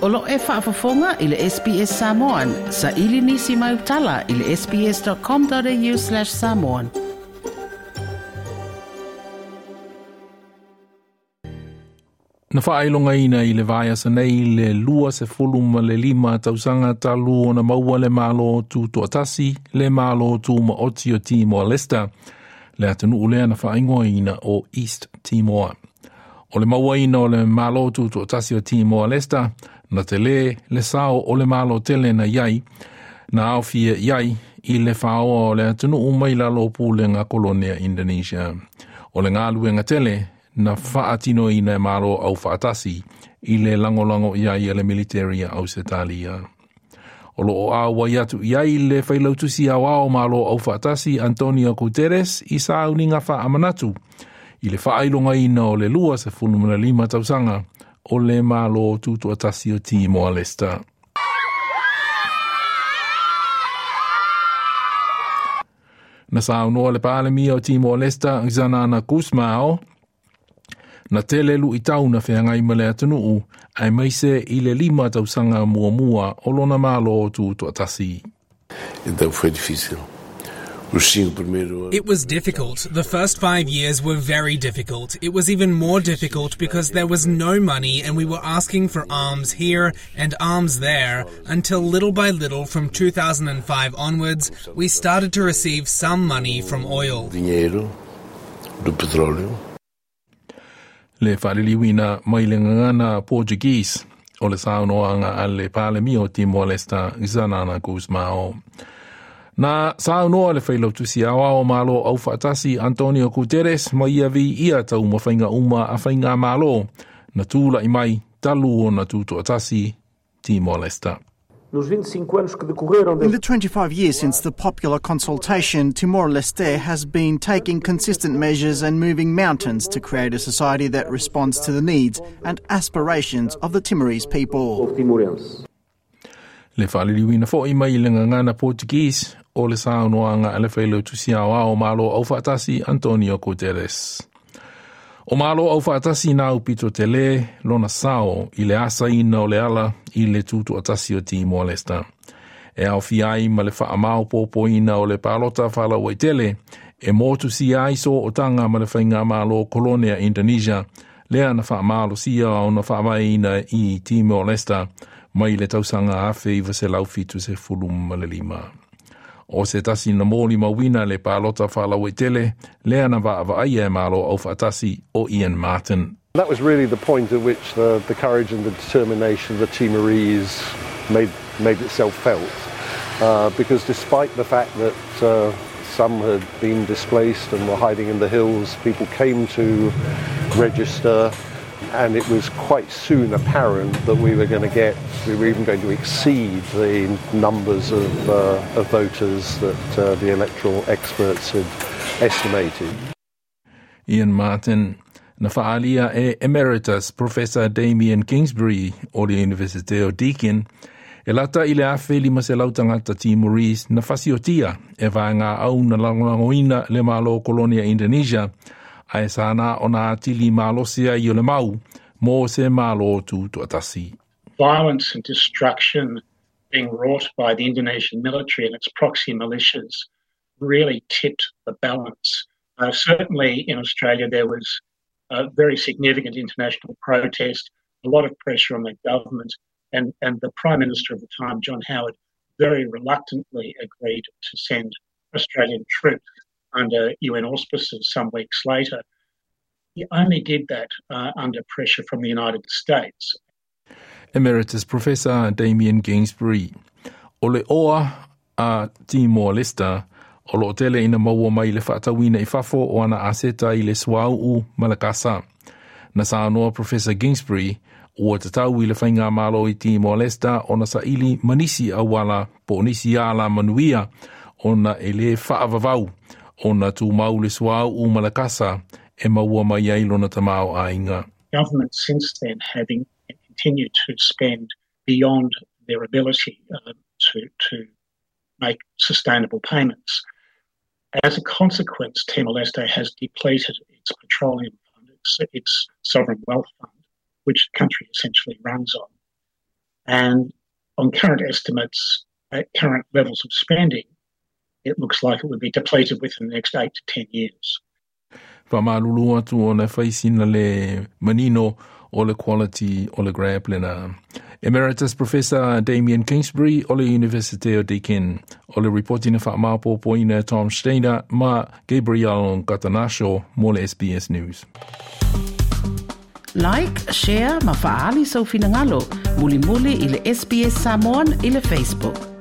O lo o e faafofoga i le SBS Samoan. Saili nisi mau tala i le sbs.com.au/samoan. Na faailogaina i le vaiaso nei le 25 tausaga talu ona maua le Malo Tutoatasi, le Malo Tumaoti o Timor-Leste, le atunuu lea na faaigoaina o East Timor. O le mauaina o le Malo Tutoatasi o Timor-Leste, na tele le sao o le Malo tele na iai, na aofia i ai i le faoa o le atunuu mai lalo o pulega kolonea Indonesia. O le galuega tele na faatinoina e Malo Aufaatasi i le lagolago i ai a le military a Ausetalia. O lo o auai atu i ai le failautusi aoao o Malo Aufaatasi Antonio Guterres i sauniga faamanatu i le faailogaina o le 25 tausaga o le Malo Tutoatasi o Timor-Leste. Na saunoa le Palemia o Timor-Leste Xanana Gusmao na tele luitau na feagai ma le atunuu aemaise i le 5 tausaga muamua o lona Malo Tutoatasi. Então foi difícil. Os 5 primeiros It was difficult. The first 5 years were very difficult. It was even more difficult because there was no money and we were asking for alms here and alms there until little by little from 2005 onwards we started to receive some money from oil. Dinheiro do petróleo. Le faaliliuina mai le gagana Portuguese o le saunoaga a le Palemia o Timor-Leste Xanana Gusmao. Na saunoa le failautusi aoao o Malo Aufaatasi Antonio Guterres ma ia viia taumafaiga uma a faigamalo na tula'i mai talu ona tutoatasi Timor-Leste. Nos 25 anos que decorreram In the 25 years since the popular consultation, Timor-Leste has been taking consistent measures and moving mountains to create a society that responds to the needs and aspirations of the Timorese people. Povo timorense. Le faaliliuina foi mai le gagana Portuguese o le saunoaga a le failautusi aoao o Malo Aufaatasi Antonio Guterres. O Malo Aufaatasi na aupito tele lona sao i le asaina o le ala i le tutoatasi o Timor-Leste. E aofia ai ma le faamaopopoina o le palota faalauaitele e motusia ai sootaga ma le faigamalo kolonea Indonesia lea na faamalosia ona faavaeina i Timor-Leste mai le tausaga 1975. O se tasi na molimauina le palota faalauaitele lea na vaavaaia e Malo Aufaatasi o Ian Martin. That was really the point at which the courage and the determination of the Timorese made itself felt. Because despite the fact that some had been displaced and were hiding in the hills, people came to register, and it was quite soon apparent that we were going to get, we were even going to exceed the numbers of voters that the electoral experts had estimated. Ian Martin. Na faaalia e Emeritus Professor Damien Kingsbury o le Universite o Deakin, e lata i le 1,500 tagata Timorese na fasiotia e vaegaau na lagolagoina le Malo Kolonia Indonesia, ae sa na ona atili malosi ai o le mau mo se Malo Tutoatasi. Violence and destruction being wrought by the Indonesian military and its proxy militias really tipped the balance. Certainly in Australia there was a very significant international protest, a lot of pressure on the government, and the Prime Minister of the time, John Howard, very reluctantly agreed to send Australian troops under UN auspices some weeks later. He only did that under pressure from the United States. Emeritus Professor Damien Kingsbury. O le oa a Timor-Leste o lo o tele ina maua mai le faatauina i fafo o ana aseta i le suauu ma le kasa. Na saunoa Professor Kingsbury ua tatau i le faigamalo i Timor-Leste ona saili ma nisi auala po o nisi ala manuia ona e lē faavavau ona tumau le suauu ma le kasa e maua mai ai lona tamaoaiga. Government since then having continued to spend beyond their ability to make sustainable payments. As a consequence, Timor-Leste has depleted its petroleum fund, its sovereign wealth fund, which the country essentially runs on. And on current estimates, at current levels of spending, it looks like it would be depleted within the next 8 to 10 years. Faamalulu atu ona fai sina le manino o le quality o le grab lena. Emeritus Professor Damien Kingsbury o le University o Deakin. O le ripoti na faamaopoopoina e Tom Steiner ma Gabriel Katanasho mo le SBS News. Like, share ma faaali sou finagalo. Mulimuli i le SBS Samoan i le Facebook.